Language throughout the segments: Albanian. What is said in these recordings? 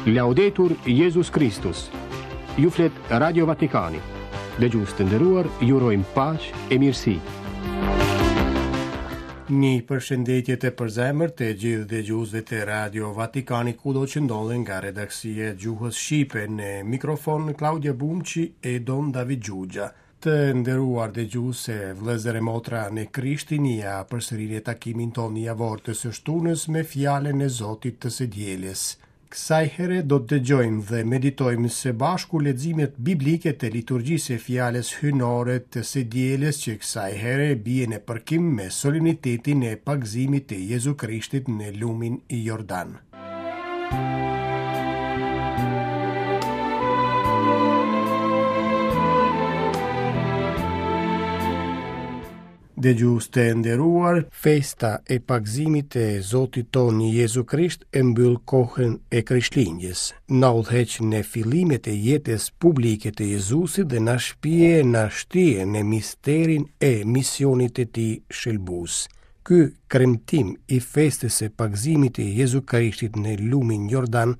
Laudetur Jezus Kristus. Ju flet Radio Vatikani. Dëgjues të nderuar, ju urojmë paqe e mirësi. Një përshëndetje të përzemërt të gjithë dëgjuesve të Radio Vatikani kudo që ndodhen nga redaksia e gjuhës shqipe në mikrofon Klaudia Bumçi e Don David Xhuxha. Të nderuar dëgjues e vëllezër e motra në Krishtin, ja përsëri takimin tonë javor të së shtunës me fjalën e Zotit të së dielës. Kësaj here do të dëgjojmë dhe meditojmë së bashku leximet biblike të liturgjisë së fjalës hyjnore të së dielës që kësaj here bie në përkim me solemnitetin e pagëzimit të Jezu Krishtit në lumin Jordan. Dëgjues të nderuar, festa e pagëzimit të Zotit tonë Jezu Krisht e mbyll kohën e Krishtlindjes. Na udhëheq në fillimet e jetës publike të Jezusit dhe na shpie na shtie në misterin e misionit të tij shëlbues. Ky kremtim i festës së pagëzimit të Jezu Krishtit në lumin Jordan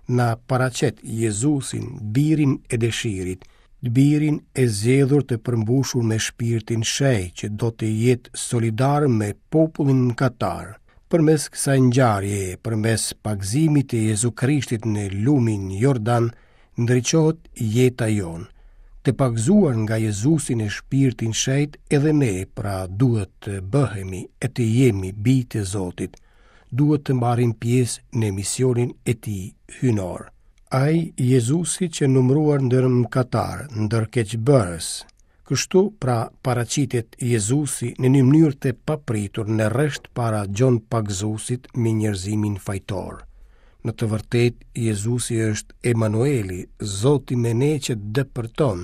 na paraqet Jezusin, birin e dëshirit, birin e zgjedhur të përmbushur me shpirtin shenjt që do të jetë solidar me popullin mëkatar. Përmes kësaj ngjarjeje, përmes pagëzimit të Jezu Krishtit në lumin Jordan, ndriçohet jeta jonë. Të pagëzuar nga Jezusi në shpirtin shenjt edhe ne pra duhet të bëhemi e të jemi bij të Zotit. Duhet të marrim pjesë në misionin e tij hyjnor. Ai Jezusi qe numëruar ndër mëkatarë, ndër keqbërës. Kështu pra paraqitet Jezusi në një mënyrë të papritur në rresht para Gjon Pagëzuesit me njerëzimin fajtor. Në të vërtetë, Jezusi është Emanueli, Zoti me ne që depërton,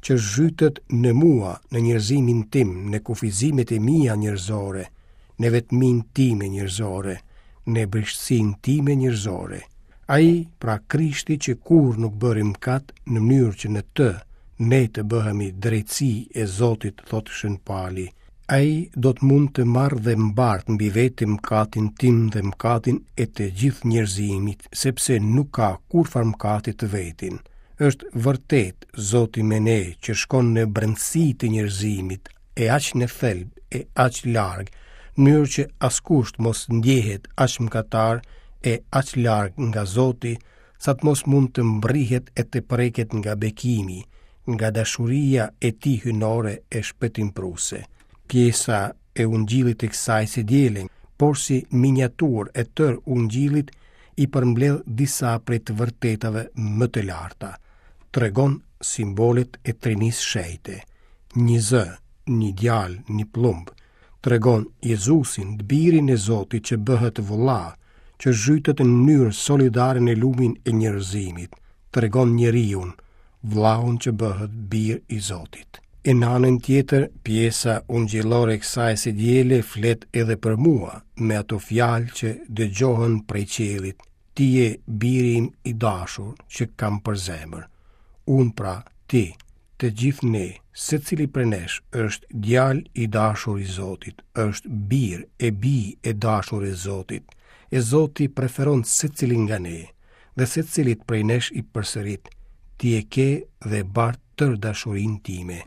që zhytet në mua, në njerëzimin tim, në kufizimet e mia njerëzore, në vetminë time njerëzore, në brishtësinë time njerëzore. Ai, pra Krishti që kurrë nuk bëri mëkat, në mënyrë që në të ne të bëhemi drejtësi e Zotit, thotë Shën Pali. Ai do të mund të marrë dhe mbartë mbi vete mëkatin tim dhe mëkatin e të gjithë njerëzimit, sepse nuk ka kurrfarë mëkati të vetin. Është vërtet Zoti me ne që shkon në brendësi të njerëzimit, e aq në thelb e aq larg, në mënyrë që askush të mos ndjehet aq mëkatar e aq larg nga Zoti, sa të mos mund të mbrrihet e të preket nga bekimi, nga dashuria e tij hyjnore e shpëtimprurëse. Pjesa e ungjillit të kësaj së diele, porsi miniaturë e tërë ungjillit i përmbledh disa prej të vërtetave më të larta. Tregon simbolet e Trinisë Shenjte. Një zë, një djalë, një pëllumb, tregon Jezusin, të birin e Zotit që bëhet vëlla, që zhytet në mënyrë solidare në lumin e njerëzimit, tregon njeriun, vëllaun që bëhet bir i Zotit. E në anën tjetër, pjesa ungjillore e kësaj së diele flet edhe për mua, me ato fjalë që dëgjohen prej qiellit, ti je biri im i dashur që kam për zemër. Unë pra, ti, Të gjithë ne, secili prej nesh është djalë i dashur i Zotit, është bir e bijë e dashur e Zotit. E Zoti preferon secilin nga ne dhe secilit prej nesh i përsërit, ti e ke dhe bart tërë dashurinë time.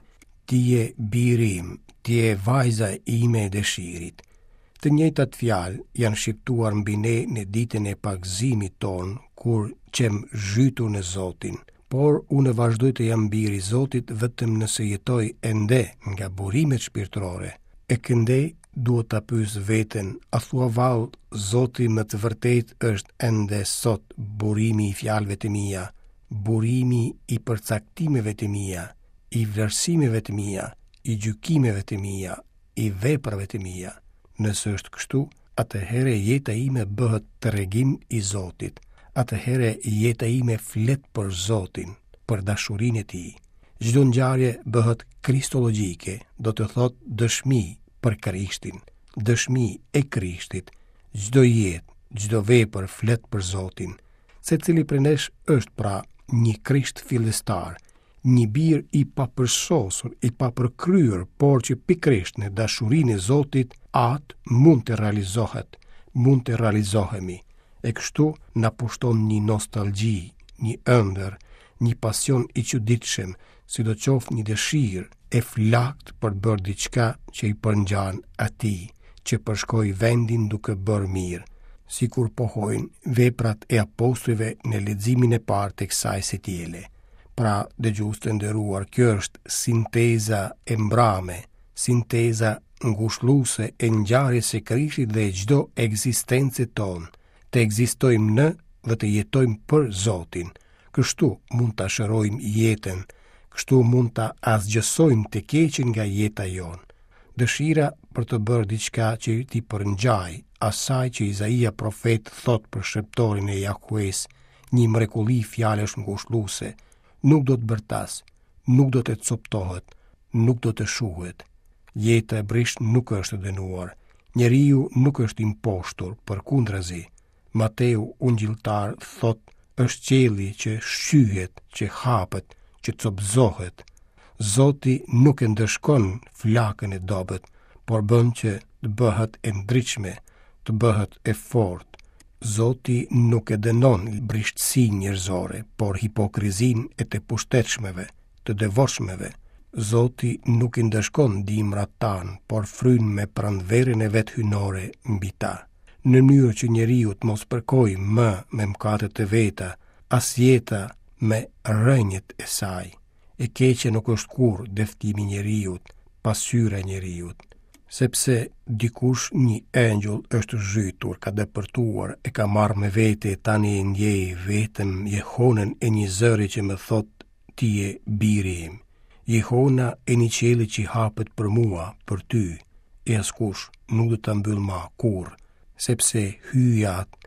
Ti je biri im, ti je vajza ime e dëshirit. Të njëjtat fjalë janë shqiptuar mbi ne në ditën e pagëzimit tonë, kur qemë zhytur në Zotin. Por unë vazhdoj të jam bir i Zotit vetëm nëse jetoj ende nga burimet shpirtërore. E këndej duhet ta pyes veten, a thua vallë Zoti me të vërtetë është ende sot burimi i fjalëve të mia, burimi i përcaktimeve të mia, i vlerësimeve të mia, i gjykimeve të mia, i veprave të mia. Nëse është kështu, atëherë jeta ime bëhet tregim i Zotit. Atëherë jeta ime flet për Zotin, për dashurinë e Tij. Çdo ngjarje bëhet kristologjike, do të thotë dëshmi për Krishtin, dëshmi e Krishtit. Çdo jetë, çdo vepër flet për Zotin. Secili prej nesh është pra një Krisht fillestar, një bir i papërsosur, i papërkryer, por që pikërisht në dashurinë e Zotit Atë mund të realizohet, mund të realizohemi. E kështu na pushton një nostalgji, një ëndërr, një pasion i çuditshëm, sidoqoftë një dëshirë e flaktë për të bërë diçka që i përngjan atij, që përshkoi vendin duke bërë mirë, sikur pohojnë veprat e apostujve në leximin e parë të kësaj së diele. Pra, dëgjues të nderuar, kjo është sinteza e mbrame, sinteza ngushëlluese e ngjarjes së Krishtit dhe çdo ekzistence tonë, të ekzistojmë në dhe të jetojmë për Zotin. Kështu mund ta shërojmë jetën, kështu mund ta asgjësojmë të keqen nga jeta jonë. Dëshira për të bërë diçka që t'i përngjajë asaj që Izaia profet thotë për shërbëtorin e Jahues, një mrekulli fjalësh ngushëlluese, nuk do të bërtasë, nuk do të copëtohet, nuk do të shuhet. Jeta e brishtë nuk është e dënuar. Njeriu nuk është i mposhtur, përkundrazi. Mateu ungjilltar thotë është qielli që shqyhet, që hapet, që copëzohet. Zoti nuk e ndëshkon flakën e dobët, por bën që të bëhet e ndritshme, të bëhet e fortë. Zoti nuk e dënon brishtësinë njerëzore, por hipokrizinë e të pushtetshmeve, të devotshmeve. Zoti nuk i ndëshkon dimrat tanë, por fryn me pranverën e vet hyjnore mbi ta. Në mënyrë që njeriu të mos përkojë më me mëkatet e veta, as jeta me rrënjët e saj. E keqja nuk është kurrë dëftimi i njeriut, pasqyra e njeriut, sepse dikush një engjëll është zhytur, ka depërtuar, e ka marrë me vete e tani e ndjej vetëm jehonën e një zëri që më thotë ti je biri im. Jehona e një qielli që hapet për mua, për ty, e askush nuk do ta mbyllë ma kurrë, sepse Hyji Atë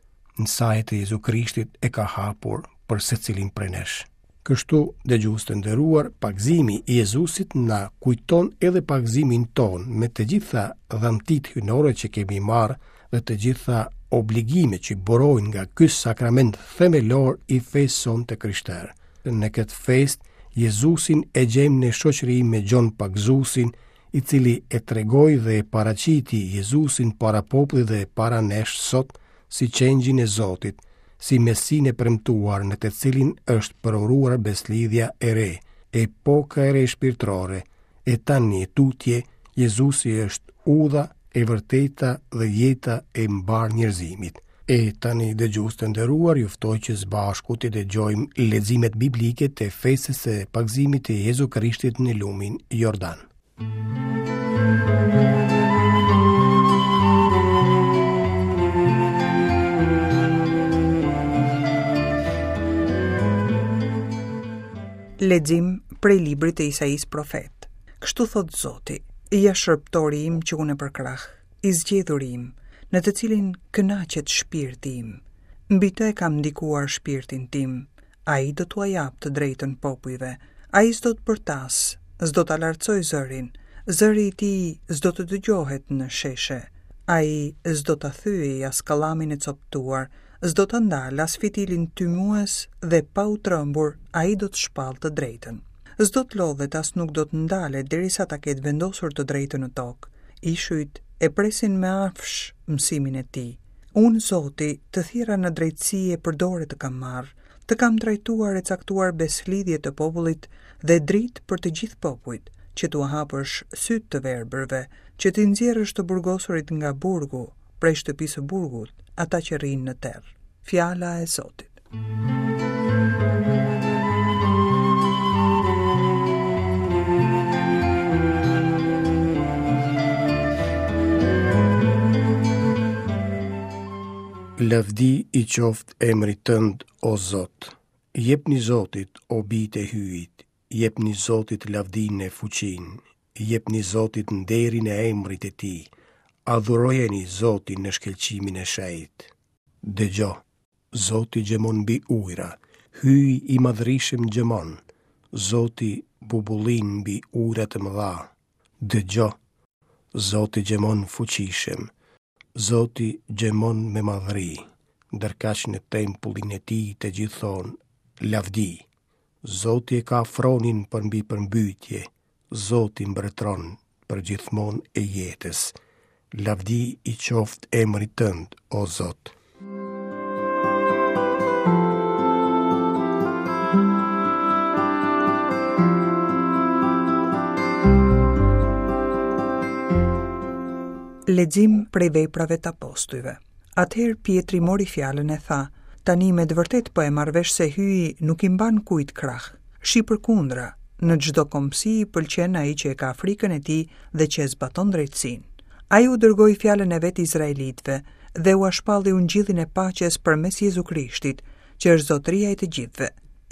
në saje të Jezu Krishtit e ka hapur për secilin prej nesh. Kështu, dëgjues të nderuar, pagëzimi i Jezusit na kujton edhe pagëzimin tonë me të gjitha dhuntitë hyjnore që kemi marrë dhe të gjitha obligimet që burojnë nga ky sakrament themelor i fesë sonë të krishterë. Në këtë festë, Jezusin e gjejmë në shoqëri me Gjon Pagëzuesin, i cili e tregoi dhe e paraqiti Jezusin para popullit dhe para nesh sot si qengjin e Zotit, si Mesinë e premtuar në të cilin është përuruar besëlidhja e re, epoka e re shpirtërore, e tani e tutje, Jezusi është udha, e vërteta dhe jeta e mbarë njerëzimit. E tani dëgjues të nderuar, ju ftoj që së bashku të dëgjojmë leximet biblike të festës së pagëzimit të Jezu Krishtit në lumin Jordan. Lexim prej librit të Isaisë profet. Kështu thotë Zoti, ja shërbëtori im që unë e përkrah, i zgjedhuri im, në të cilin kënaqet shpirti im. Mbi të e kam ndikuar shpirtin tim, Ai do t'ua japë të drejtën popujve. Ai s'do të bërtasë, s'do ta lartësojë zërin, zëri i tij s'do të dëgjohet në sheshe. Ai s'do ta thyejë as kallamin e copëtuar, s'do ta ndalë as fitilin tymues dhe pa u trembur ai do të shpallë të drejtën. S'do të lodhet as nuk do të ndalet derisa ta ketë vendosur të drejtën në tokë. Ishujt e presin me afsh mësimin e tij. Unë, Zoti, të thirra në drejtësi e për dore të kam marrë, të kam trajtuar e caktuar besëlidhje të popullit dhe dritë për të gjithë popujt, që t'ua hapësh sytë të verbërve, që t'i nxjerrësh të burgosurit nga burgu, prej shtëpisë së burgut, ata që rrinë në terr. Fjala e Zotit. Lavdi i qoftë emrit tënd, o Zot. Jepni Zotit, o bijtë e Hyjit, jepni Zotit lavdinë e fuqinë, jepni Zotit nderin e emrit të tij, adhurojeni Zotin në shkëlqimin e shenjtë. Dëgjo, Zoti gjëmon mbi ujëra, Hyji i madhërishëm gjëmon, Zoti bubullin mbi ujëra të mëdha. Dëgjo, Zoti gjëmon fuqishëm, Zoti gjëmon me madhëri, ndërkaq në tempullin e tij të gjithë thonë, lavdi. Zoti e ka fronin përmbi përmbytje, Zoti mbretëron përgjithmonë e jetës. Lavdi i qoftë emrit tënd, o Zot. Lexim prej veprave të apostujve. Atëherë Pjetri mori fjalën e tha, tani me të vërtetë po e marr vesh se Hyji nuk i mban kujt krah. Shi përkundra, në çdo kombësi i pëlqen ai që e ka frikën e tij dhe që e zbaton drejtësinë. Ai u dërgoi fjalën e vet izraelitëve dhe ua shpalli ungjillin e paqes përmes Jezu Krishtit, që është zotëria i të gjithëve.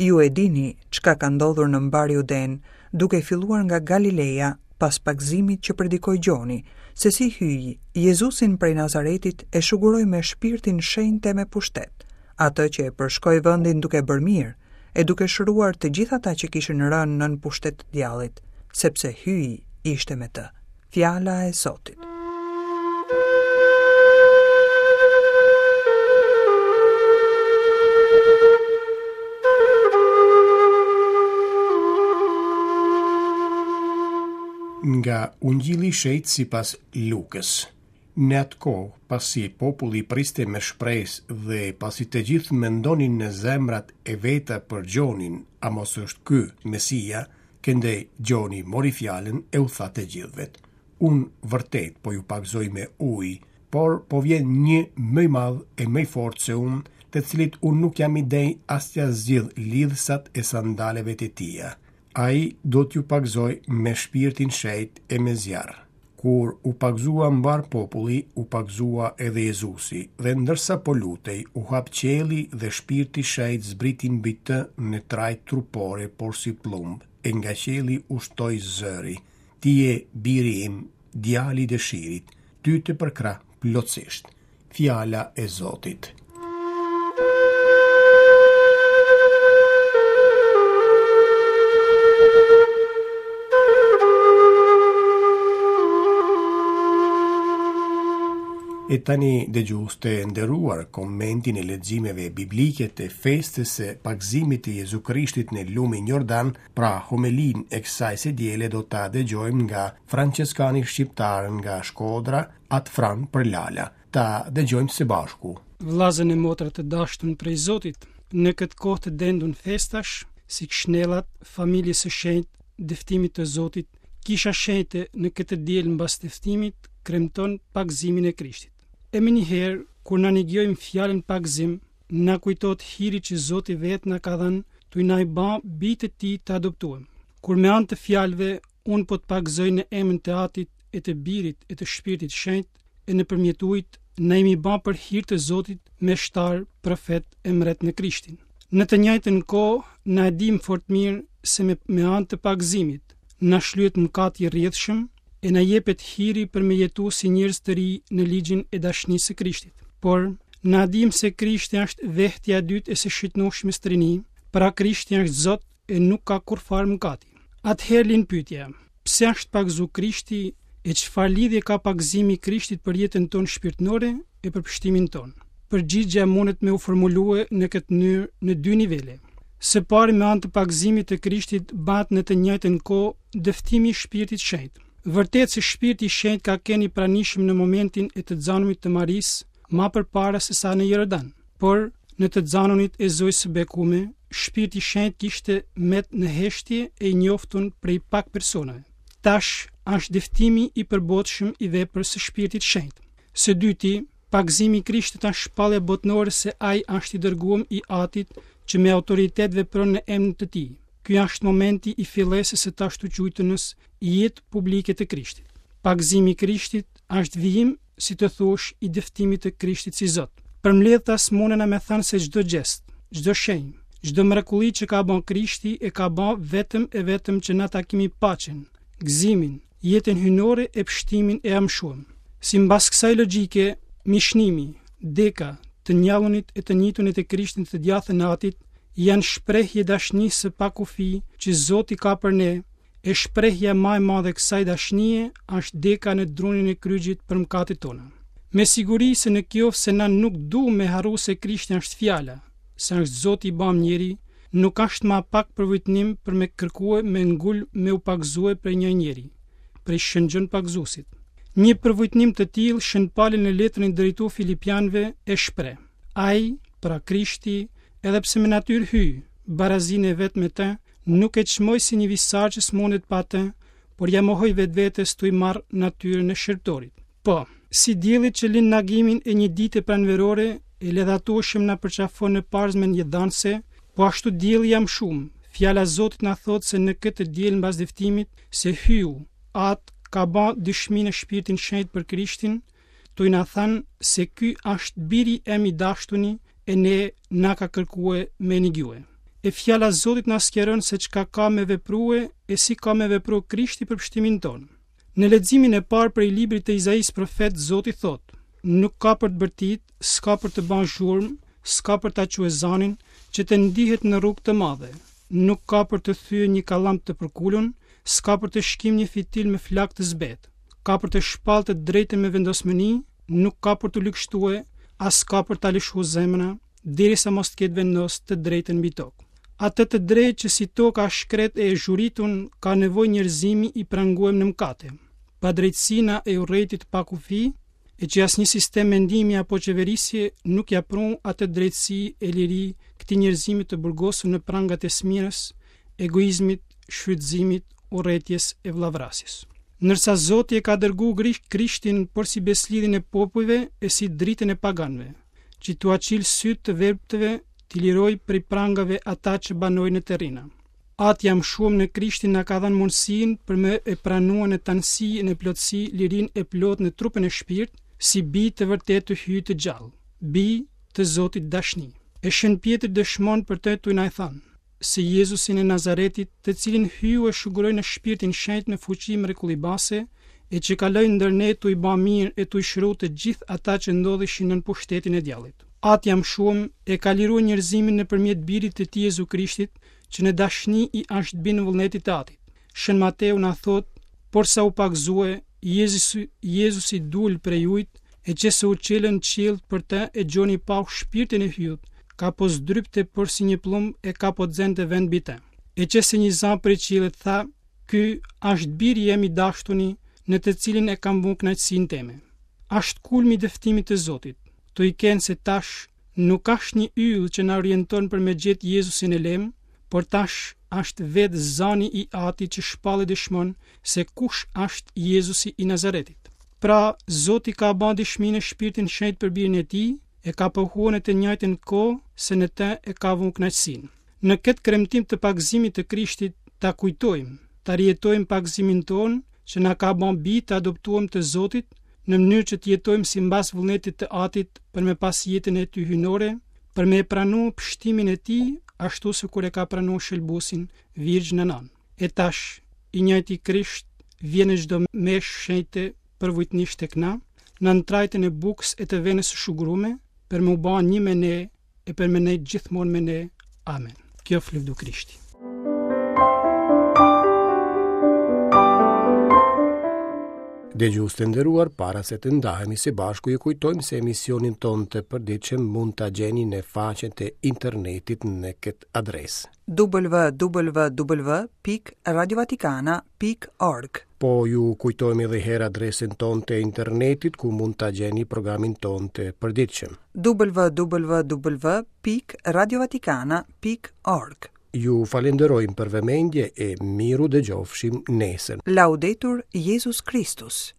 Ju e dini çka ka ndodhur në mbarë Judenë, duke filluar nga Galileja, pas pagëzimit që predikoi Gjoni, se si Hyji, Jezusin prej Nazaretit e shuguroi me shpirtin shenjt e me pushtet, atë që e përshkoi vendin duke bërë mirë, e duke shëruar të gjithë ata që kishin rënë nën pushtet të djallit, sepse Hyji ishte me të. Fjala e Zotit. Nga Ungjilli i Shenjtë sipas Lukës. Në atë kohë, pasi populli priste me shpresë dhe pasi të gjithë mendonin në zemrat e veta për Gjonin, a mos është ky Mesia, Këndej Gjoni mori fjalën e u tha të gjithëvet, Unë vërtet po ju pagëzoj me ujë, por po vjen një më i madh e më i fortë se unë, të cilit unë nuk jam i denjë as t'ia zgjidh lidhësat e sandaleve të tija. Ai do t'ju pagëzojë me Shpirtin Shenjt e me zjarr. Kur u pagëzua mbarë populli, u pagëzua edhe Jezusi, dhe ndërsa po lutej, u hap qielli dhe Shpirti Shenjt zbriti mbi të në trajtë trupore porsi pëllumb, e nga qielli ushtoi zëri, Ti je biri im, djali i dëshirit, ty të përkrah plotësisht. Fjala e Zotit. E tani dëgjues të nderuar komentin e leximeve biblike të festës së pagëzimit të Jezu Krishtit në lumin Jordan, pra homelinë e kësaj së diele do ta dëgjojmë nga françeskani shqiptar nga Shkodra, At Fran Përlala. Ta dëgjojmë së bashku. Vllazën e motra të dashtun prej Zotit, në këtë kohë të dendun festash, si kshnellat, familjes së shenjtë, dëftimit të Zotit, kisha shenjte në këtë diel mbas dëftimit, kremton pagëzimin e Krishtit. E menjëherë, kur na nigjojmë fjalën pagëzim, na kujtohet hiri që Zoti vetë na ka dhënë, tuj na i ba bijtë e tij të adoptuem. Kur me anë të fjalëve, unë po të pagëzoj në emën të Atit e të Birit e të Shpirtit Shenjt, e nëpërmjet ujit, na jemi ba për hir të Zotit meshtar, profet e mret në Krishtin. Në të njëjtën kohë, na e dimë fort mirë se me, me anë të pagëzimit, na shlyhet mëkati i rrjedhshëm e na jepet hiri për me jetu si njerëz të ri në ligjin e dashnisë së Krishtit. Por, na dimë se Krishti është vehtja e dytë e së shëtnushmes trini, pra Krishti është Zot e nuk ka kurrfarë mëkati. Atëherë lind pyetja, pse është pagëzu Krishti e çfarë lidhje ka pagëzimi i Krishtit për jetën tonë shpirtnore e për pështimin tonë? Përgjigja mundet me u formulue në këtë mënyrë në dy nivele. Së pari me anë të pagëzimit të Krishtit bahet në të njëjtën kohë dëftimi i Shpirtit Shenjt. Vërtet se Shpirti i Shenjt ka qenë i pranishëm në momentin e të xanunit të Marisë, ma përpara se sa në Jordan. Por, në të xanunit e Zojës së Bekume, Shpirti i Shenjt kishte met në heshtje e i njoftun prej pak personave. Tash është dëftimi i përbotshëm i veprës së Shpirtit Shenjt. Së dyti, pagëzimi i Krishtit është shpallja botnore se ai është i dërguem i Atit që me autoritet vepron në emër të tij. Ky është momenti i fillesës së të ashtuquajtunës jetë publike të Krishtit. Pagëzimi i Krishtit është vijim si të thuash, i dëftimit të Krishtit si Zot. Përmbledhtas munena me thanë se çdo gjest, çdo shenjë, çdo mrekulli që ka ba Krishti e ka ba vetëm e vetëm që na ta kemi paqen, gëzimin, jetën hyjnore e pështimin e amshuem. Simbas kësaj logjike, mishnimi, deka, të njallunit e të njitunit e Krishtit në të djathtën e Atit, janë shprehje dashnisë së pakufi që Zoti ka për ne E shprehja ma e madhe e kësaj dashnie është deka në drunin e kryqit për mëkatet tona. Me siguri se në kjoftë se na nuk du me harru se Krishti është fjala, se është Zoti i bamë njeri, nuk është ma pak përvujtnim për me kërkue me ngulm me u pagëzue prej një njeri, prej Shën Gjon Pagëzuesit. Një përvujtnim të tillë Shën Pali në letrën e drejtu Filipianëve e shpreh. Ai, pra Krishti, edhe pse me natyrë Hyj, barazinë e vet me të, Nuk e çmoi si një visar që s'mundet pa të, por ia mohoi vetvetes tuj marrë natyrën e shërbëtorit. Po, Si dielli që lind n'agimin e një dite pranverore e ledhatueshëm na përqafon në parzmen jetëdhanëse, po ashtu dielli i amshumë, fjala e Zotit na thotë se në këtë të diel mbas dëftimit, se Hyu, At, ka ba dëshmi në Shpirtin Shenjt për Krishtin, tuj na thanë se ky asht biri em i dashtuni e ne na ka kërkue me nigjue. E fjala e Zotit na sqaron se çka ka me veprue e si ka me vepru Krishti për pështimin tonë. Në leximin e parë prej librit të Izaisë profet, Zoti thotë, Nuk ka për të bërtit, s'ka për të ba zhurmë, s'ka për ta çue zanin, që të ndihet në rrugë të madhe. Nuk ka për të thye një kallam të përkulun, s'ka për të shkim një fitil me flakë të zbetë. Ka për të shpallë të drejtën me vendosmëni, nuk ka për t'u ligështue, as s'ka për ta lëshu zemra, derisa mos të ketë vendos të drejtën mbi tokë. Atë të drejtë që si toka e shkretë e e zhuritun ka nevojë njerëzimi i pranguem në mkate, padrejtësina e urrejtje të pakufi, e që asnjë sistem mendimi apo qeverisje nuk ja prun atë drejtësi e liri këtij njerëzimi të burgosur në prangat e smirës, egoizmit, shfrytëzimit, urrejtjes e vëllavrasjes. Ndërsa Zoti e ka dërgu Krishtin porsi besëlidhjen e popujve e si dritën e paganëve, që t'ua çilë sytë të verbtëve, t'i lirojë prej prangave ata që banojnë në terrina. Ati i amshuem në Krishtin na ka dhënë mundësinë për me e pranue në tanësi e në plotësi lirinë e plotë në trupën e shpirt, si bij të vërtetë të Hyjit të gjallë, bij të Zotit dashni. E Shën Pjetri dëshmon për të tuj na e thanë, se Jezusin e Nazaretit, të cilin Hyu e shuguroi në Shpirtin Shenjt me fuqi mrekullibase, e që kaloi ndër ne tuj ba mirë e tuj shëru të gjithë ata që ndodheshin nën pushtetin e djallit. Ati i amshuem e ka lirue njerëzimin nëpërmjet Birit të tij Jezu Krishtit, që në dashni i asht bind vullnetit të Atit. Shën Mateu na thotë, Porsa u pagëzue, Jezusi, Jezusi dul prej ujit, e qe se u çelën qiellt për të e Gjoni pau shpirtin e Hyut, ka po zdrypte porsi një pllumb e ka po xente vend mbi të. E qe se një za prej qiellit tha, Ky asht biri jem i dashtuni, në të cilin e kam vu kënaqësinë teme. Asht kulmi i dëftimit të Zotit, tuj kenë se tash nuk asht një yll që na orienton për me gjetë Jezusin e lemë, por tash asht vetë zani i Atit që shpall e dëshmon se kush asht Jezusi i Nazaretit. Pra, Zoti ka ba dëshmi në Shpirtin Shenjt për Birin e Tij, e ka pohue në të njëjtën kohë se në të e ka vu kënaqësinë. Në këtë kremtim të pagëzimit të Krishtit ta kujtojmë, ta rijetojmë pagëzimin tonë që na ka ba bij të adoptuem të Zotit, në mënyrë që të jetojmë simbas vullnetit të Atit për me pas jetën e tij hyjnore, për me e pranu pështimin e tij ashtu sikur e ka pranu shëlbuesin Virgjna Nanë. E tash, i njëjti Krisht vjen në çdo meshë shenjte përvujtnisht tek na, nën trajtën e bukës e të venës së shugurume, për me u ba një me ne e për me nejt gjithmonë me ne. Amen. Kjoft lëvdu Krishti. Dëgjues të nderuar, para se të ndahemi së bashku, ju kujtojmë se emisionin tonë të përditshëm mund ta gjeni në faqen e internetit në këtë adresë. www.radiovatikana.org Po ju kujtojmë edhe herë adresën tonë të internetit ku mund ta gjeni programin tonë të përditshëm. www.radiovatikana.org Ju falenderojmë për vëmendje e mirudëgjofshim nesër. Laudetur Jezus Christus.